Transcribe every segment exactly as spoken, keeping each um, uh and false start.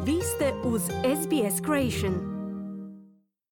Vi ste uz S B S Creation.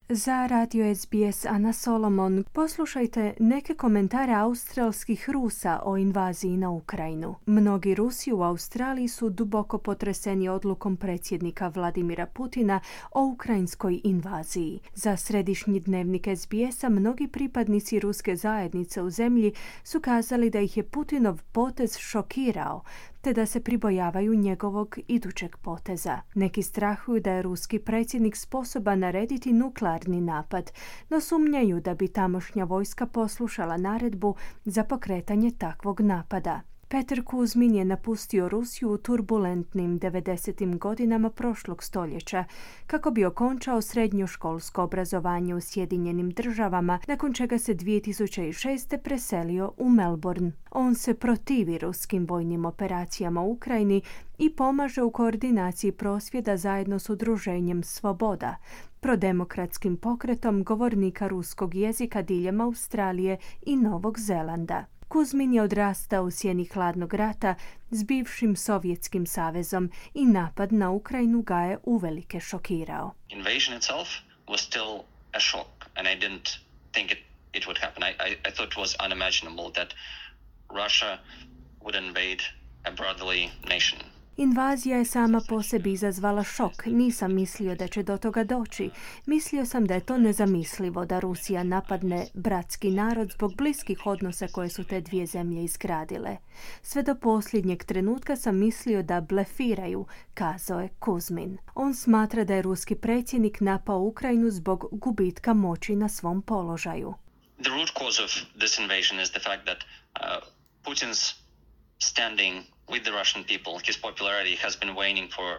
Za radio S B S Ana Solomon poslušajte neke komentare australskih Rusa o invaziji na Ukrajinu. Mnogi Rusi u Australiji su duboko potreseni odlukom predsjednika Vladimira Putina o ukrajinskoj invaziji. Za središnji dnevnik S B S-a mnogi pripadnici ruske zajednice u zemlji su kazali da ih je Putinov potez šokirao, te da se pribojavaju njegovog idućeg poteza. Neki strahuju da je ruski predsjednik sposoban narediti nuklearni napad, no sumnjaju da bi tamošnja vojska poslušala naredbu za pokretanje takvog napada. Peter Kuzmin je napustio Rusiju u turbulentnim devedesetim godinama prošlog stoljeća kako bi okončao srednjoškolsko obrazovanje u Sjedinjenim državama, nakon čega se dvije tisuće šeste. preselio u Melbourne. On se protivi ruskim vojnim operacijama u Ukrajini i pomaže u koordinaciji prosvjeda zajedno s udruženjem Svoboda, prodemokratskim pokretom govornika ruskog jezika diljem Australije i Novog Zelanda. Kuzmin je odrastao u sjeni hladnog rata s bivšim Sovjetskim savezom i napad na Ukrajinu ga je uvelike šokirao. Invasion itself was still a shock and I didn't think it, it would happen. I, I, I thought it was unimaginable that Russia would invade a brotherly nation. Invazija je sama po sebi izazvala šok. Nisam mislio da će do toga doći. Mislio sam da je to nezamislivo da Rusija napadne bratski narod zbog bliskih odnosa koje su te dvije zemlje izgradile. Sve do posljednjeg trenutka sam mislio da blefiraju, kazao je Kuzmin. On smatra da je ruski predsjednik napao Ukrajinu zbog gubitka moći na svom položaju. The root cause of this invasion is the fact that uh, Putin's standing with the Russian people, his popularity has been waning for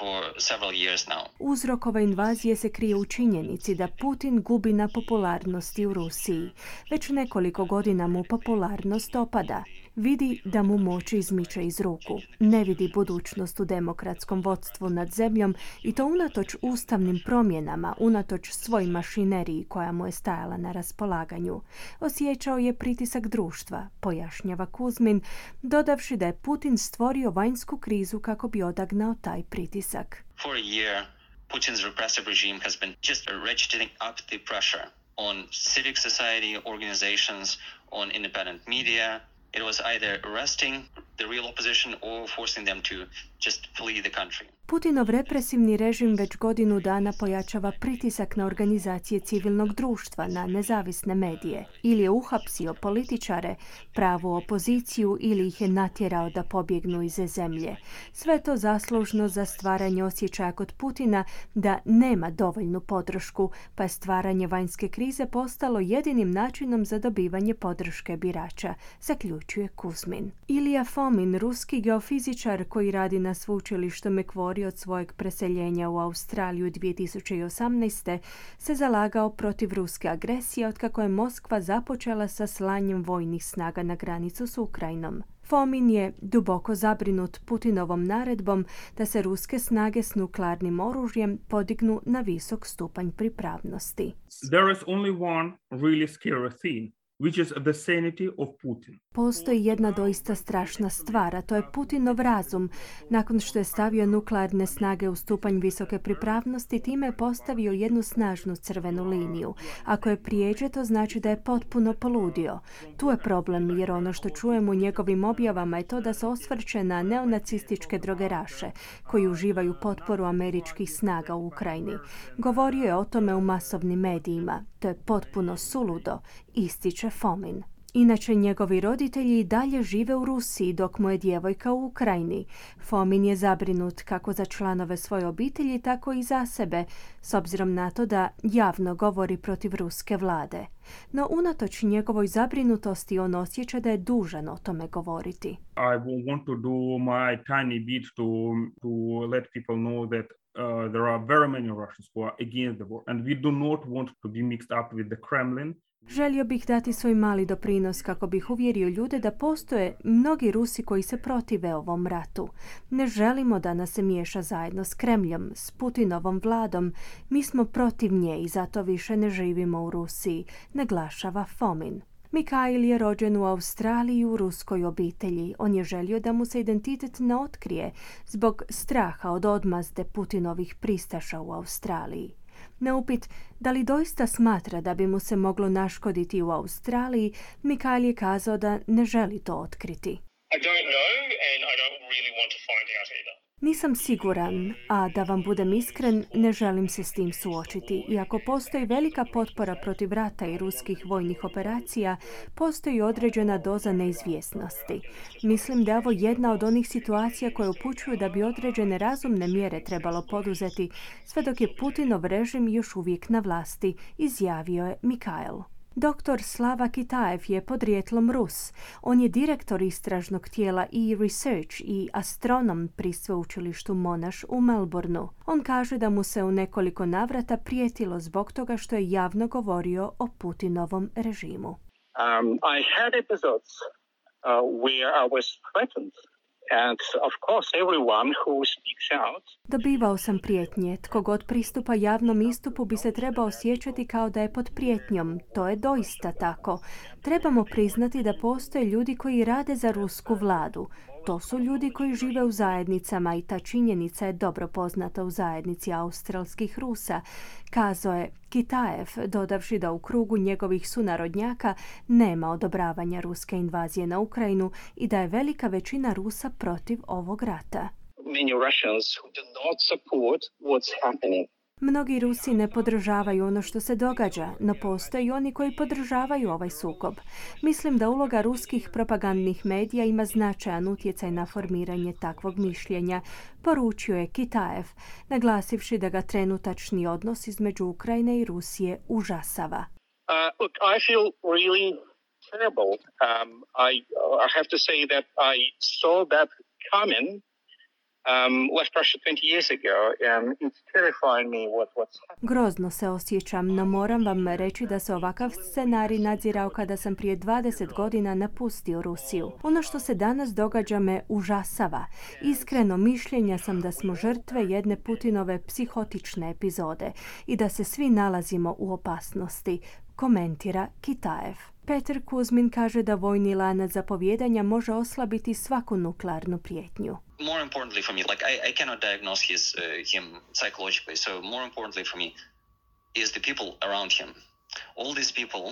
for several years now. Uzrok ove invazije se krije u činjenici da Putin gubi na popularnosti u Rusiji. Već nekoliko godina mu popularnost opada. Vidi da mu moć izmiče iz ruku. Ne vidi budućnost u demokratskom vodstvu nad zemljom i to unatoč ustavnim promjenama, unatoč svoj mašineriji koja mu je stajala na raspolaganju. Osjećao je pritisak društva, pojašnjava Kuzmin, dodavši da je Putin stvorio vanjsku krizu kako bi odagnao taj pritisak. For a year, Putin's repressive regime has been just ratcheting up the pressure on civic society organizations, on independent media. It was either arresting the real opposition or forcing them to just flee the country. Putinov represivni režim već godinu dana pojačava pritisak na organizacije civilnog društva, na nezavisne medije. Ili je uhapsio političare, pravu opoziciju ili ih je natjerao da pobjegnu iz zemlje. Sve to zaslužno za stvaranje osjećaja kod Putina da nema dovoljnu podršku, pa je stvaranje vanjske krize postalo jedinim načinom za dobivanje podrške birača, zaključuje Kuzmin. Ilija Fomin, ruski geofizičar koji radi na sveučilištu Macquarie od svojeg preseljenja u Australiju dvije tisuće osamnaeste. se zalagao protiv ruske agresije otkako je Moskva započela sa slanjem vojnih snaga na granicu s Ukrajinom. Fomin je duboko zabrinut Putinovom naredbom da se ruske snage s nuklearnim oružjem podignu na visok stupanj pripravnosti. There is only one really scary thing, which is the sanity of Putin. Postoji jedna doista strašna stvar, a to je Putinov razum. Nakon što je stavio nuklearne snage u stupanj visoke pripravnosti, time je postavio jednu snažnu crvenu liniju. Ako je prijeđe, to znači da je potpuno poludio. Tu je problem, jer ono što čujemo u njegovim objavama je to da se osvrće na neonacističke drogeraše, koji uživaju potporu američkih snaga u Ukrajini. Govorio je o tome u masovnim medijima. To je potpuno suludo, ističe Fomin. Inače, njegovi roditelji i dalje žive u Rusiji dok mu je djevojka u Ukrajini. Fomin je zabrinut kako za članove svoje obitelji, tako i za sebe, s obzirom na to da javno govori protiv ruske vlade. No, unatoč njegovoj zabrinutosti, on osjeća da je dužan o tome govoriti. I want to do my tiny bit to, to let people know that uh, there are very many Russians who are against the war, and we do not want to be mixed up with the Kremlin. Želio bih dati svoj mali doprinos kako bih uvjerio ljude da postoje mnogi Rusi koji se protive ovom ratu. Ne želimo da nas se miješa zajedno s Kremljom, s Putinovom vladom. Mi smo protiv nje i zato više ne živimo u Rusiji, naglašava Fomin. Mikhail je rođen u Australiji u ruskoj obitelji. On je želio da mu se identitet ne otkrije zbog straha od odmazde Putinovih pristaša u Australiji. Na upit da li doista smatra da bi mu se moglo naškoditi u Australiji, Mikhail je kazao da ne želi to otkriti. I don't know and I don't really want to find out either. Nisam siguran, a da vam budem iskren, ne želim se s tim suočiti. Iako postoji velika potpora protiv rata i ruskih vojnih operacija, postoji određena doza neizvjesnosti. Mislim da je ovo jedna od onih situacija koje upućuju da bi određene razumne mjere trebalo poduzeti, sve dok je Putinov režim još uvijek na vlasti, izjavio je Mikhail. Doktor Slava Kitaev je podrijetlom Rus. On je direktor istražnog tijela e-research i astronom pri sveučilištu Monash u Melbourneu. On kaže da mu se u nekoliko navrata prijetilo zbog toga što je javno govorio o Putinovom režimu. Um, I had episodes uh, where I was threatened. And of course everyone who speaks out. Dobivao sam prijetnje. Tko god pristupa javnom istupu bi se trebao osjećati kao da je pod prijetnjom. To je doista tako. Trebamo priznati da postoje ljudi koji rade za rusku vladu. To su ljudi koji žive u zajednicama i ta činjenica je dobro poznata u zajednici australskih Rusa, kazao je Kitaev, dodavši da u krugu njegovih sunarodnjaka nema odobravanja ruske invazije na Ukrajinu i da je velika većina Rusa protiv ovog rata. Many Russians who do not support what's happening. Mnogi Rusi ne podržavaju ono što se događa, no postoje i oni koji podržavaju ovaj sukob. Mislim da uloga ruskih propagandnih medija ima značajan utjecaj na formiranje takvog mišljenja, poručio je Kitaev, naglasivši da ga trenutačni odnos između Ukrajine i Rusije užasava. Uh, look, I feel really terrible. Um, I, I have to say that I saw that coming. Um, left Russia twenty years ago, and it's terrifying me what, what's happening. Grozno se osjećam, no moram vam reći da se ovakav scenarij nadzirao kada sam prije dvadeset godina napustio Rusiju. Ono što se danas događa me užasava. Iskreno mišljenja sam da smo žrtve jedne Putinove psihotične epizode i da se svi nalazimo u opasnosti, komentira Kitaev. Peter Kuzmin kaže da vojni lanac zapovijedanja može oslabiti svaku nuklearnu prijetnju. More importantly for me, like I, I cannot diagnose his, uh, him psychologically, so more importantly for me is the people around him. All these people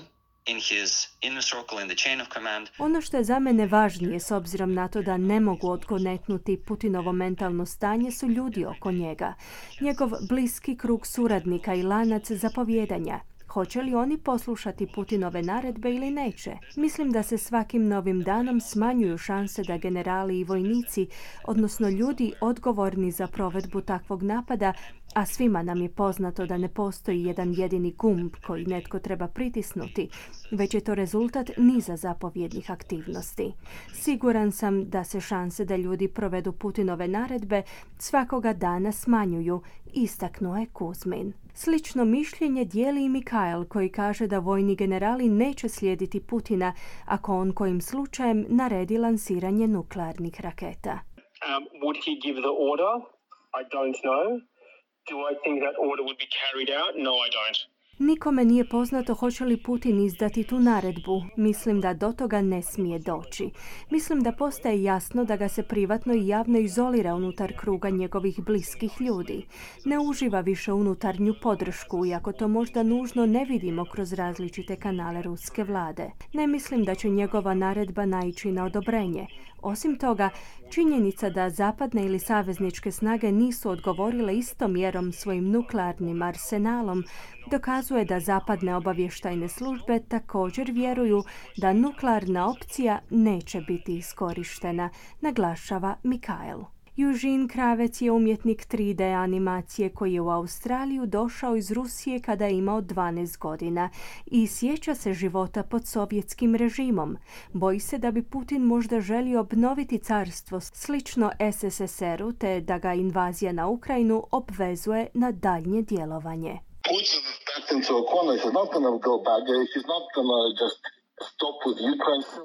in his inner circle, in the chain of command. Ono što je za mene važnije, s obzirom na to da ne mogu odgonetnuti Putinovo mentalno stanje, su ljudi oko njega. Njegov bliski krug suradnika i lanac zapovijedanja. Hoće li oni poslušati Putinove naredbe ili neće? Mislim da se svakim novim danom smanjuju šanse da generali i vojnici, odnosno ljudi odgovorni za provedbu takvog napada, a svima nam je poznato da ne postoji jedan jedini gumb koji netko treba pritisnuti, već je to rezultat niza zapovjednih aktivnosti. Siguran sam da se šanse da ljudi provedu Putinove naredbe svakoga dana smanjuju, istaknuo je Kuzmin. Slično mišljenje dijeli i Mikhail, koji kaže da vojni generali neće slijediti Putina ako on kojim slučajem naredi lansiranje nuklearnih raketa. Um, would he give the order? I don't know. Do I think that order would be carried out? No, I don't. Nikome nije poznato hoće li Putin izdati tu naredbu. Mislim da do toga ne smije doći. Mislim da postaje jasno da ga se privatno i javno izolira unutar kruga njegovih bliskih ljudi. Ne uživa više unutarnju podršku, iako to možda nužno ne vidimo kroz različite kanale ruske vlade. Ne mislim da će njegova naredba naići na odobrenje. Osim toga, činjenica da zapadne ili savezničke snage nisu odgovorile istom mjerom svojim nuklearnim arsenalom dokazuje da zapadne obavještajne službe također vjeruju da nuklearna opcija neće biti iskorištena, naglašava Mikhail. Eugene Kravec je umjetnik tri D animacije koji je u Australiju došao iz Rusije kada je imao dvanaest godina i sjeća se života pod sovjetskim režimom. Boji se da bi Putin možda želio obnoviti carstvo slično S S S R-u te da ga invazija na Ukrajinu obvezuje na daljnje djelovanje. Putin backed into a corner. He's not going to go back there. He's not going to just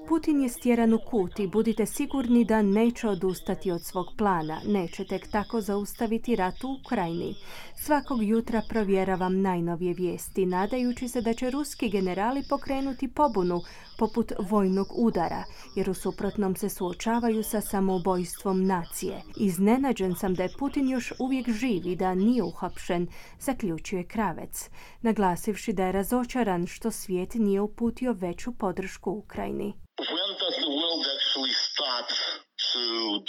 Putin je stjeran u kut i budite sigurni da neće odustati od svog plana, neće tek tako zaustaviti rat u Ukrajini. Svakog jutra provjeravam najnovije vijesti, nadajući se da će ruski generali pokrenuti pobunu poput vojnog udara, jer u suprotnom se suočavaju sa samoubojstvom nacije. Iznenađen sam da je Putin još uvijek živ i da nije uhapšen, zaključuje Kravec, naglasivši da je razočaran što svijet nije uputio veću podršku Ukrajini. When does the world actually start to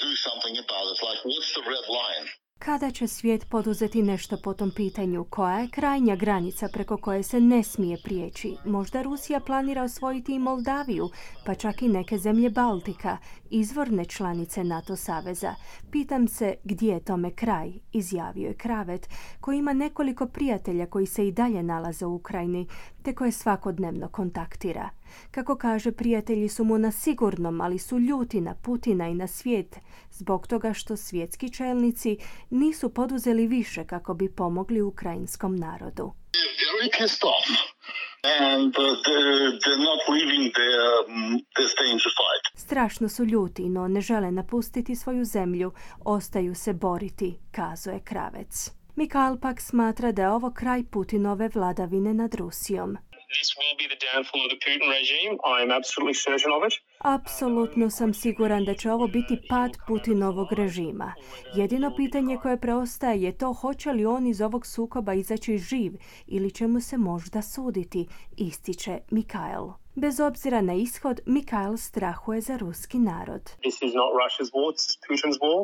do something about it? Like, what's the red line? Kada će svijet poduzeti nešto po tom pitanju? Koja je krajnja granica preko koje se ne smije prijeći? Možda Rusija planira osvojiti i Moldaviju, pa čak i neke zemlje Baltika, izvorne članice NATO saveza. Pitam se gdje je tome kraj, izjavio je Kravet, koji ima nekoliko prijatelja koji se i dalje nalaze u Ukrajini, te koje svakodnevno kontaktira. Kako kaže, prijatelji su mu na sigurnom, ali su ljuti na Putina i na svijet, zbog toga što svjetski čelnici nisu poduzeli više kako bi pomogli ukrajinskom narodu. Strašno su ljuti, no ne žele napustiti svoju zemlju, ostaju se boriti, kazuje Kravec. Mikhail pak smatra da je ovo kraj Putinove vladavine nad Rusijom. This will be the downfall of the Putin regime. I am absolutely certain of it. Apsolutno sam siguran da će ovo biti pad Putinovog režima. Jedino pitanje koje preostaje je to hoće li on iz ovog sukoba izaći živ ili će mu se možda suditi, ističe Mikhail. Bez obzira na ishod, Mikhail strahuje za ruski narod. This is not Russia's war, this is Putin's war.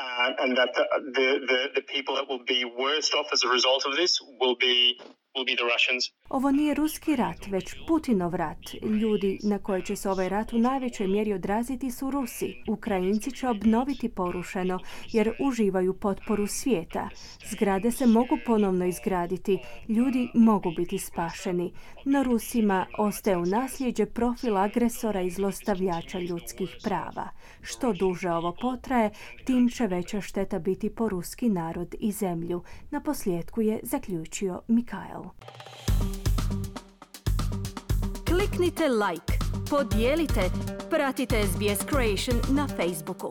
Uh, and that the, the, the, the people that will be worst off as a result of this will be will be the Russians. Ovo nije ruski rat, već Putinov rat. Ljudi na koje će se ovaj rat u najvećoj mjeri odraziti su Rusi. Ukrajinci će obnoviti porušeno jer uživaju potporu svijeta. Zgrade se mogu ponovno izgraditi, ljudi mogu biti spašeni. No Rusima ostaje u nasljeđe profil agresora i zlostavljača ljudskih prava. Što duže ovo potraje, tim će veća šteta biti po ruski narod i zemlju. Na posljedku je zaključio Mikhail. Kliknite like, podijelite, pratite S B S Creation na Facebooku.